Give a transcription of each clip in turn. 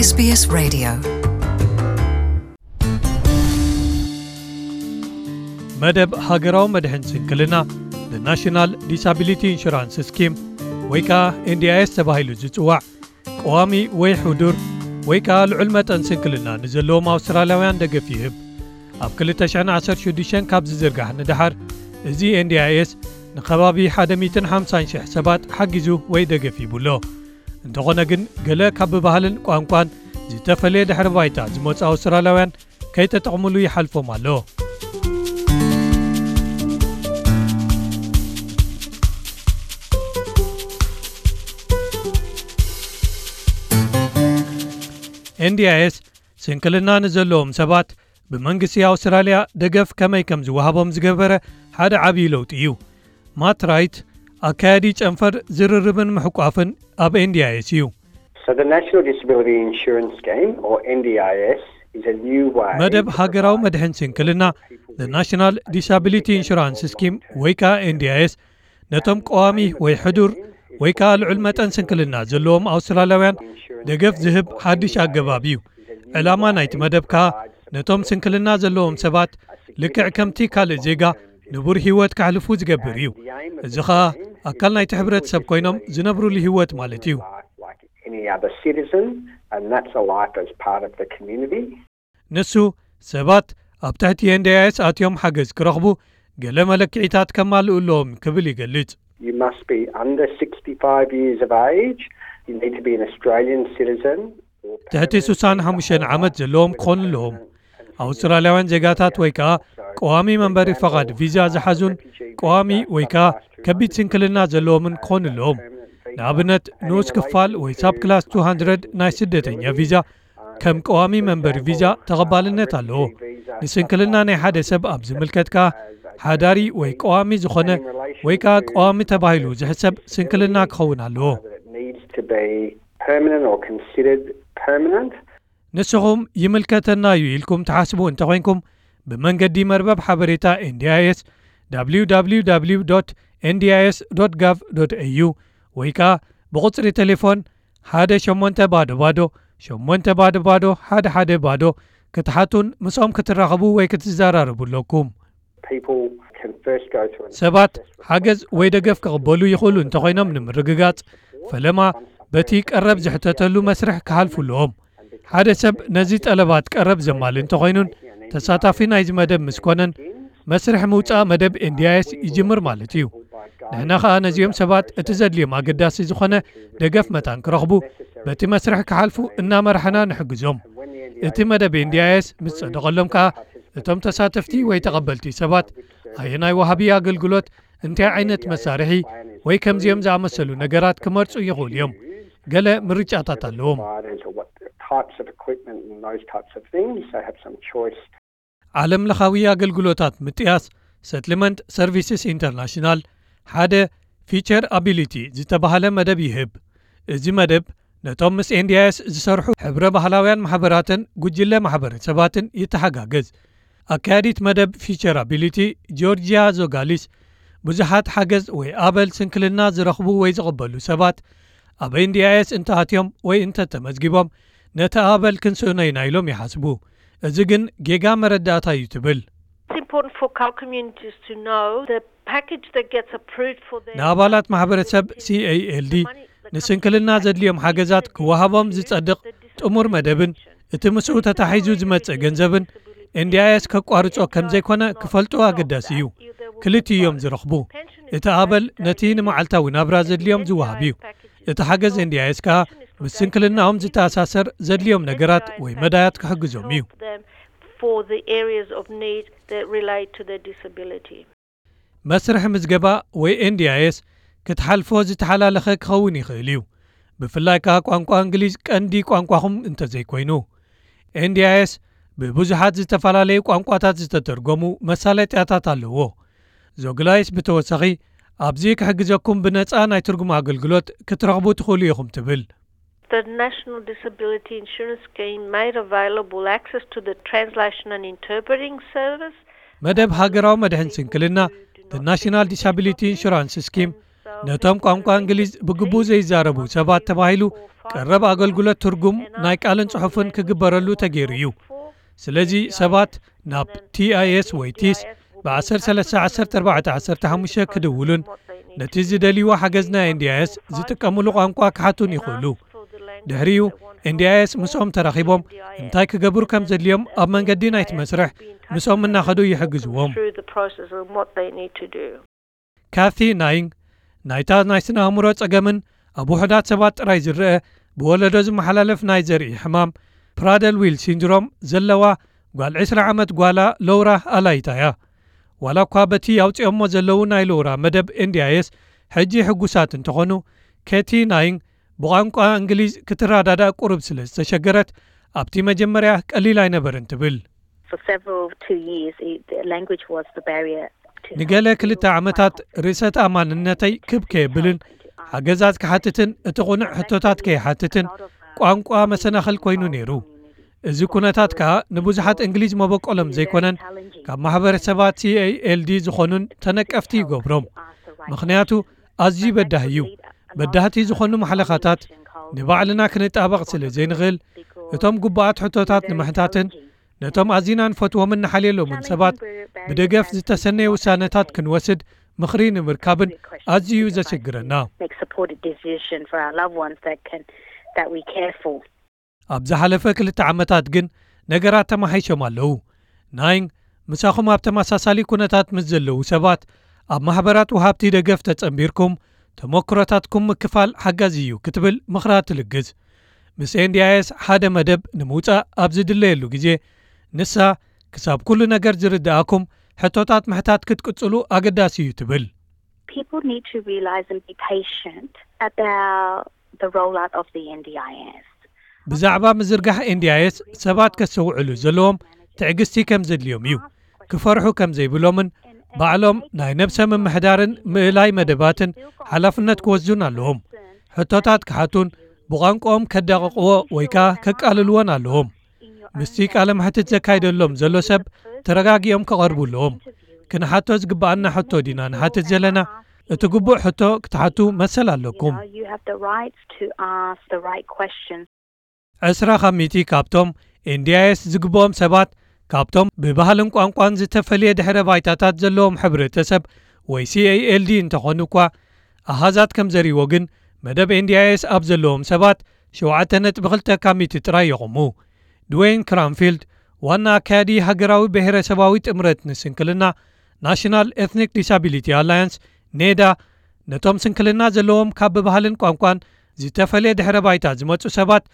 SBS Radio. መደብ ሃገራዊ መድሕን ስንክልና፣ National Disability Insurance Scheme ወይ ከዓ ኤንዲኣይኤስ ተባሂሉ ዝጽዋዕ፣ ቀዋሚ ወይ ሕዱር ወይ ከዓ ልዑል መጠን ስንክልና ንዘለዎም ኣውስትራልያውያን ደገፍ ይህብ። ኣብ ክልተ ሽሕን ዓሰርተ ሽዱሽተን ካብ ዝዝርጋሕ ንደሓር፣ እዚ ኤንዲኣይኤስ ንከባቢ ሓደ ሚእትን ሓምሳን ሽሕ ሰባት ሓጊዙ ወይ ደገፍ ሂቡ ኣሎ። እንተኾነ ግን፣ ገለ ካብ ብባህልን ቋንቋን ዝተፈለየ ድሕሪ ባይታ ዝመጹ ኣውስትራልያውያን ከይተጠቕምሉ ይሓልፎም ኣሎ። ኤንዲኣይኤስ ስንክልና ንዘለዎም ሰባት ብመንግስቲ ኣውስትራልያ ደገፍ ከመይ ከም ዝወሃቦም ዝገበረ ሓደ ዓብዪ ለውጢ እዩ። ማት ራይት፣ ኣካያዲ ጨንፈር ዝርርብን ምሕቋፍን ኣብ ኤንዲኣይኤስ እዩ። So the National Disability Insurance Scheme, or N D I S, is a new way መደብ ሃገራዊ መድሕን ስንክልና፣ National Disability Insurance Scheme ወይ ከዓ ኤንዲኣይኤስ፣ ነቶም ቀዋሚ ወይ ሕዱር ወይ ከዓ ልዑል መጠን ስንክልና ዘለዎም ኣውስትራልያውያን ደገፍ ዝህብ ሓድሽ ኣገባብ እዩ። ዕላማ ናይቲ መደብ ከዓ ነቶም ስንክልና ዘለዎም ሰባት ልክዕ ከምቲ ካልእ ዜጋ ንቡር ህይወት ከሕልፉ ዝገብር እዩ። እዚ ኸኣ ኣካል ናይቲ ሕብረተሰብ ኮይኖም ዝነብሩሉ ህይወት ማለት እዩ። like any other citizen, and that's a life as part of the community. ንሱ ሰባት ኣብ ትሕቲ ኤንዲኣይኤስ ኣትዮም ሓገዝ ክረኽቡ ገለ መለክዒታት ከማልኡ ኣለዎም ክብል ይገልጽ። You must be under sixty-five years of age. You need to be an Australian citizen. ትሕቲ ስሳን ሓሙሽተን ዓመት ዘለዎም ክኾኑ ኣለዎም። ኣውስትራልያውያን ዜጋታት ወይ ከዓ ቀዋሚ መንበሪ ፈቓድ ቪዛ ዝሓዙን ቀዋሚ ወይ ከዓ ከቢድ ስንክልና ዘለዎምን ክኾኑ ኣለዎም። ንኣብነት፣ ንኡስ ክፋል ወይ ሳብ ክላስ two hundred ናይ ስደተኛ ቪዛ ከም ቀዋሚ መንበሪ ቪዛ ተቐባልነት ኣለዎ። ንስንክልና ናይ ሓደ ሰብ ኣብ ዝምልከት ከዓ ሓዳሪ ወይ ቀዋሚ ዝኾነ ወይ ከዓ ቀዋሚ ተባሂሉ ዝሕሰብ ስንክልና ክኸውን ኣለዎ። It needs to be permanent or considered permanent. ንስኹም ይምልከተና እዩ ኢልኩም ትሓስቡ እንተኾይንኩም፣ ብመንገዲ መርበብ ሓበሬታ ኤንዲኣይኤስ፣ www dot ndis dot gov dot au፣ ወይ ከዓ ብቁጽሪ ቴሌፎን ሓደ ሸሞንተ ባዶ ባዶ ሸሞንተ ባዶ ባዶ ሓደ ሓደ ባዶ ክትሓቱን ምስኦም ክትራኸቡ ወይ ክትዘራረቡ ኣለኩም። People can first go through an ሰባት ሓገዝ ወይ ደገፍ ክቕበሉ ይኽእሉ እንተኾይኖም ንምርግጋጽ፣ ፈለማ በቲ ቀረብ ዝሕተተሉ መስርሕ ክሓልፉ ኣለዎም። ሓደ ሰብ ነዚ ጠለባት ቀረብ ዘማሊ እንተኾይኑን ተሳታፊ ናይዚ መደብ ምስ ኮነን፣ መስርሕ ምውጻእ መደብ ኤንዲኣይኤስ ይጅምር ማለት እዩ። ንሕና ኸኣ ነዚኦም ሰባት እቲ ዘድልዮም ኣገዳሲ ዝኾነ ደገፍ መታን ክረኽቡ በቲ መስርሕ ክሓልፉ እናመራሕና ንሕግዞም። እቲ መደብ ኤንዲኣይኤስ ምስ ጸደቐሎም ከኣ እቶም ተሳተፍቲ ወይ ተቐበልቲ ሰባት ኣየናይ ወሃቢ ኣገልግሎት፣ እንታይ ዓይነት መሳርሒ ወይ ከምዚኦም ዝኣመሰሉ ነገራት ክመርጹ ይኽእሉ እዮም። ገለ ምርጫታት ኣለዎም። providers or what types of equipment and those types of things. They have some choice. ዓለም ለኻዊ ኣገልግሎታት ምጥያስ፣ ሰትልመንት ሰርቪስስ ኢንተርናሽናል ሓደ ፊቸር ኣቢሊቲ ዝተባህለ መደብ ይህብ። እዚ መደብ ነቶም ምስ ኤንዲኣይኤስ ዝሰርሑ ሕብረ ባህላውያን ማሕበራትን ጉጅለ ማሕበረሰባትን ይተሓጋገዝ። ኣካያዲት መደብ ፊቸር ኣቢሊቲ ጆርጂያ ዞጋሊስ፣ ብዙሓት ሓገዝ ወይ ኣበል ስንክልና ዝረኽቡ ወይ ዝቕበሉ ሰባት ኣብ ኤንዲኣይኤስ እንተኣትዮም ወይ እንተተመዝጊቦም ነቲ ኣበል ክንስእኖ ኢና ኢሎም ይሓስቡ። እዚ ግን ጌጋ መረዳእታ እዩ ትብል። It's important for our communities to know the package that gets approved for them. ንኣባላት ማሕበረሰብ ሲኤይኤልዲ ንስንክልና ዘድልዮም ሓገዛት ክወሃቦም ዝጸድቕ ጥሙር መደብን እቲ ምስኡ ተታሒዙ ዝመጽእ ገንዘብን ኤንዲኣይኤስ ከቋርጾ ከም ዘይኮነ ክፈልጡ ኣገዳሲ እዩ። ክልቲኡ እዮም ዝረኽቡ። እቲ ኣበል ነቲ ንመዓልታዊ ናብራ ዘድልዮም ዝወሃብ እዩ። እቲ ሓገዝ ኤንዲኣይኤስ ከኣ ምስ ስንክልናኦም ዝተኣሳሰር ዘድልዮም ነገራት ወይ መዳያት ክሕግዞም እዩ። For the areas of need that relate to their disability. መስርሕ ምዝገባ ወይ ኤንዲኣይኤስ ክትሓልፎ ዝተሓላለኸ ክኸውን ይኽእል እዩ። ብፍላይ ከኣ ቋንቋ እንግሊዝ ቀንዲ ቋንቋኹም እንተዘይኮይኑ። ኤንዲኣይኤስ ብብዙሓት ዝተፈላለዩ ቋንቋታት ዝተተርጎሙ መሳለጥያታት ኣለዎ። ዞግላይስ ብተወሳኺ ኣብዚ ክሕግዘኩም ብነጻ ናይ ትርጉም ኣገልግሎት ክትረኽቡ ትኽእሉ ኢኹም ትብል። The National Disability Insurance Scheme made available access to the translation and interpreting service. መደብ ሃገራዊ መድሕን ስንክልና፣ National Disability Insurance Scheme፣ ነቶም ቋንቋ እንግሊዝ ብግቡእ ዘይዛረቡ ሰባት ተባሂሉ ቀረብ ኣገልግሎት ትርጉም ናይ ቃልን ጽሑፍን ክግበረሉ ተገይሩ እዩ። ስለዚ ሰባት ናብ ቲ ኣይ ኤስ ወይ ቲስ ብ131415 ክድውሉን ነቲ ዝደልይዎ ሓገዝ ናይ ኤን ዲ ኣይ ኤስ ዝጥቀምሉ ቋንቋ ክሓቱን ይኽእሉ። ድሕሪኡ ኤን ዲ ኣይ ኤስ ምስኦም ተራኺቦም እንታይ ክገብሩ ከም ዘድልዮም ኣብ መንገዲ ናይቲ መስርሕ ምስኦም እናኸዱ ይሕግዝዎም። Through the process and what they need to do. ካቲ ናይንግ ናይታ ናይ ስነ ኣእምሮ ጸገምን ኣብ ውሑዳት ሰባት ጥራይ ዝረአ ብወለዶ ዝመሓላለፍ ናይ ዘርኢ ሕማም ፕራደል ዊል ሲንድሮም ዘለዋ ጓል ዕስራ ዓመት ጓላ ሎውራ ኣላይታ እያ። ዋላ እኳ በቲ ኣውጺኦሞ ዘለዉ ናይ ሎውራ መደብ ኤን ዲ ኣይ ኤስ ሕጂ ሕጉሳት እንተኾኑ፣ ኬቲ ናይንግ ብቋንቋ እንግሊዝ ክትረዳዳእ ቁሩብ ስለ ዝተሸገረት ኣብቲ መጀመርያ ቀሊል ኣይነበርን ትብል። For several two years, it, the language was the barrier to ንገለ ክልተ ዓመታት ርእሰ ተኣማንነተይ ክብ ከየብልን ሓገዛት ክሓትትን እቲ ቁኑዕ ሕቶታት ከይሓትትን ቋንቋ መሰናኽል ኮይኑ ነይሩ። እዚ ኩነታት ከኣ ንብዙሓት እንግሊዝ መበቆሎም ዘይኮነን ካብ ማሕበረሰባት ሲ ኤ ኤል ዲ ዝኾኑን ተነቀፍቲ ይገብሮም። ምኽንያቱ ኣዝዩ በዳሂ እዩ። በዳህቲ ዝኾኑ ማሕለኻታት ንባዕልና ክንጣበቕ ስለ ዘይንኽእል፣ እቶም ግቡኣት ሕቶታት ንምሕታትን ነቶም ኣዚና ንፈትዎምን ንሓልየሎምን ሰባት ብደገፍ ዝተሰነየ ውሳነታት ክንወስድ ምኽሪ ንምርካብን ኣዝዩ እዩ ዘስግረና። Make supported decision for our loved ones that can, that we care for. ኣብ ዝሓለፈ ክልተ ዓመታት ግን ነገራት ተማሓይሾም ኣለዉ። ናይንግ ምሳኹም ኣብ ተመሳሳሊ ኩነታት ምስ ዘለዉ ሰባት ኣብ ማሕበራት ወሃብቲ ደገፍ ተጸንቢርኩም ተመክሮታትኩም ምክፋል ሓጋዚ እዩ ክትብል ምኽራ ትልግስ። ምስ ኤን ዲ ኣይ ኤስ ሓደ መደብ ንምውጻእ ኣብ ዝድለየሉ ግዜ ንሳ ክሳብ ኩሉ ነገር ዝርድኣኩም ሕቶታት ምሕታት ክትቅጽሉ ኣገዳሲ እዩ ትብል። People need to realize and be patient about the rollout of the N D I S. ብዛዕባ ምዝርጋሕ ኤን ዲ ኣይ ኤስ ሰባት ከስተውዕሉ ዘለዎም ትዕግስቲ ከም ዘድልዮም እዩ። ክፈርሑ ከም ዘይብሎምን ባዕሎም ናይ ነብሰ ምምሕዳርን ምእላይ መደባትን ሓላፍነት ክወስዱን ኣለዎም። ሕቶታት ክሓቱን ብቋንቋኦም ከዳቕቕዎ ወይ ከኣ ከቃልልዎን ኣለዎም። ምስቲ ቃለ መሕትት ዘካይደሎም ዘሎ ሰብ ተረጋጊኦም ክቐርቡ ኣለዎም። ክንሓቶ ዝግብኣና ሕቶ ዲና ንሓትት ዘለና? እቲ ግቡእ ሕቶ ክትሓቱ መሰል ኣለኩም። You know, you have the right to ask the right questions. ዕስራ ካብ ሚእቲ ካብቶም ኤን ዲ ኣይ ኤስ ዝግብኦም ሰባት ካብቶም ብባህልን ቋንቋን ዝተፈልየ ድሕረ ባይታታት ዘለዎም ሕብረተሰብ ወይ ሲ ኤ ኤል ዲ እንተኾኑ እኳ፣ ኣሃዛት ከም ዘርእይዎ ግን መደብ ኤን ዲ ኣይ ኤስ ኣብ ዘለዎም ሰባት ሸውዓተ ነጥቢ ክልተ ካብ ሚእቲ ጥራይ የቑሙ። ድዌይን ክራንፊልድ ዋና ኣካያዲ ሃገራዊ ብሄረሰባዊ ጥምረት ንስንክልና ናሽናል ኤትኒክ ዲሳቢሊቲ ኣላያንስ ኔዳ ነቶም ስንክልና ዘለዎም ካብ ብባህልን ቋንቋን ዝተፈልየ ድሕረ ባይታ ዝመጹ ሰባት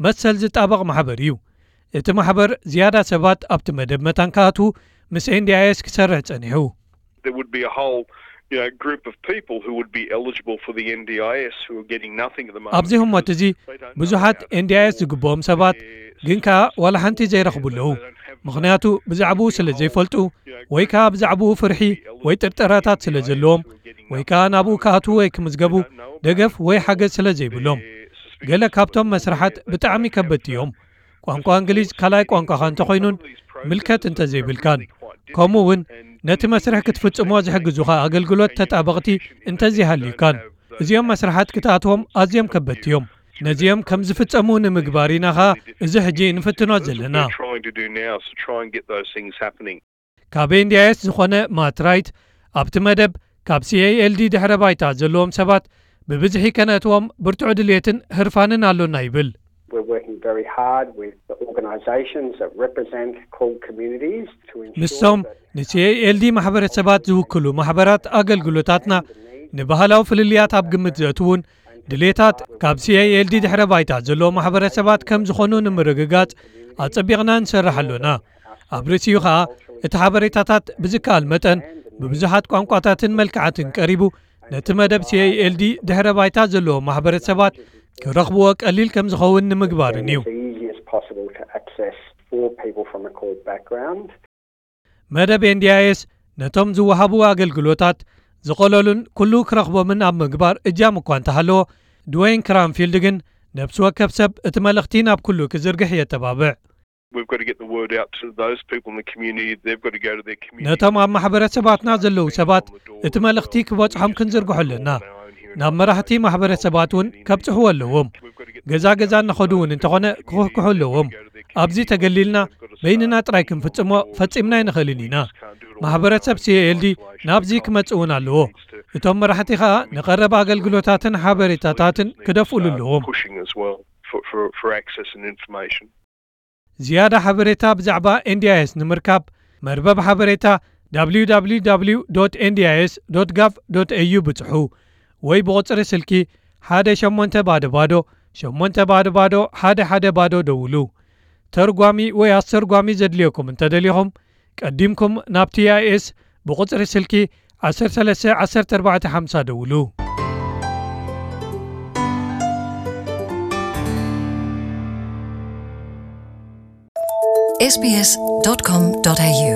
መሰል ዝጣበቕ ማሕበር እዩ። እቲ ማሕበር ዝያዳ ሰባት ኣብቲ መደብ መታን ክኣትዉ ምስ ኤን ዲ ኣይ ኤስ ክሰርሕ ጸኒሑ። There would be a whole, you know, group of people who would be eligible for the N D I S who are getting nothing at the moment ኣብዚ ህሞት እዚ ብዙሓት ኤን ዲ ኣይ ኤስ ዝግብኦም ሰባት ግን ከኣ ዋላ ሓንቲ ዘይረኽቡ ኣለዉ። ምኽንያቱ ብዛዕባኡ ስለ ዘይፈልጡ ወይ ከኣ ብዛዕባኡ ፍርሒ ወይ ጥርጠራታት ስለ ዘለዎም ወይ ከኣ ናብኡ ክኣትዉ ወይ ክምዝገቡ ደገፍ ወይ ሓገዝ ስለ ዘይብሎም። ገለ ካብቶም መስርሓት ብጣዕሚ ከበድቲ እዮም። ቋንቋ እንግሊዝ ካልኣይ ቋንቋኻ እንተኾይኑን ምልከት እንተዘይብልካን። ከምኡ እውን ነቲ መስርሕ ክትፍጽሞ ዝሕግዙኻ ኣገልግሎት ተጣበቕቲ እንተዘይሃልዩካን። እዚኦም መስርሓት ክትኣትዎም ኣዝዮም ከበድቲ እዮም። ነዚኦም ከም ዝፍጸሙ ንምግባር ኢና ኸኣ እዚ ሕጂ እንፍትኖ ዘለና። We're trying to do now is to try and get those things happening. ካብ ኤን ዲ ኣይ ኤስ ዝኾነ ማት ራይት ኣብቲ መደብ ካብ ሲ ኤ ኤል ዲ ድሕረ ባይታ ዘለዎም ሰባት ብብዝሒ ከነእትዎም ብርቱዕ ድልየትን ህርፋንን ኣሎና ይብል። We're working very hard with the organisations that represent Kul communities to ensure ምስቶም that ንሲ ኤ ኤል ዲ ማሕበረሰባት ዝውክሉ ማሕበራት ኣገልግሎታትና ንባህላዊ ፍልልያት ኣብ ግምት ዘእትውን ድሌታት ካብ ሲ ኤ ኤል ዲ ድሕረ ባይታ ዘለዎም ማሕበረሰባት ከም ዝኾኑ ንምርግጋጽ ኣጸቢቕና ንሰርሕ ኣሎና። ኣብ ርእሲኡ ኸኣ እቲ ሓበሬታታት ብዝከኣል መጠን ብብዙሓት ቋንቋታትን መልክዓትን ቀሪቡ ነቲ መደብ ሲ ኤ ኤል ዲ ድሕረ ባይታ ዘለዎም ማሕበረሰባት ክረኽብዎ ቀሊል ከም ዝኸውን ንምግባርን እዩ። It's the easiest possible to access for people from a Kul background. መደብ ኤን ዲ ኣይ ኤስ ነቶም ዝወሃቡ ኣገልግሎታት ዝቐለሉን ኩሉ ክረኽቦምን ኣብ ምግባር እጃም እኳ እንተሃለዎ፣ ድዌይን ክራንፊልድ ግን ነብሲ ወከፍ ሰብ እቲ መልእኽቲ ናብ ኩሉ ክዝርግሕ የተባብዕ። We've got to get the word out to those people in the community. They've got to go to their community. ነቶም ኣብ ማሕበረሰባትና ዘለዉ ሰባት እቲ መልእኽቲ ክበጽሖም ክንዝርግሖ ኣለና። ናብ መራሕቲ ማሕበረሰባት እውን ከብጽሕዎ ኣለዎም። ገዛ ገዛ እናኸዱ እውን እንተኾነ ክኹሕኩሑ ኣለዎም። ኣብዚ ተገሊልና በይንና ጥራይ ክንፍጽሞ ፈጺምና ኣይንኽእልን ኢና። ማሕበረሰብ ሲ ኤ ኤል ዲ ናብዚ ክመጽእ እውን ኣለዎ። እቶም መራሕቲ ኸኣ ንቐረብ ኣገልግሎታትን ሓበሬታታትን ክደፍእሉ ኣለዎም። pushing as well for, for, for access and information. ዝያዳ ሓበሬታ ብዛዕባ ኤን ዲ ኣይ ኤስ ንምርካብ መርበብ ሓበሬታ www.ndis.gov.au ብጽሑ ወይ ብቑጽሪ ስልኪ ሓደ ሸሞንተ ባዶ ባዶ ሸሞንተ ባዶ ባዶ ሓደ ሓደ ባዶ ደውሉ። ተርጓሚ ወይ ኣስተርጓሚ ዘድልየኩም እንተደሊኹም ቀዲምኩም ናብ ቲ ኣይ ኤስ ብቑጽሪ ስልኪ ዓሰርተ ሰለስተ ዓሰርተ ኣርባዕተ ሓምሳ ደውሉ። sbs.com.au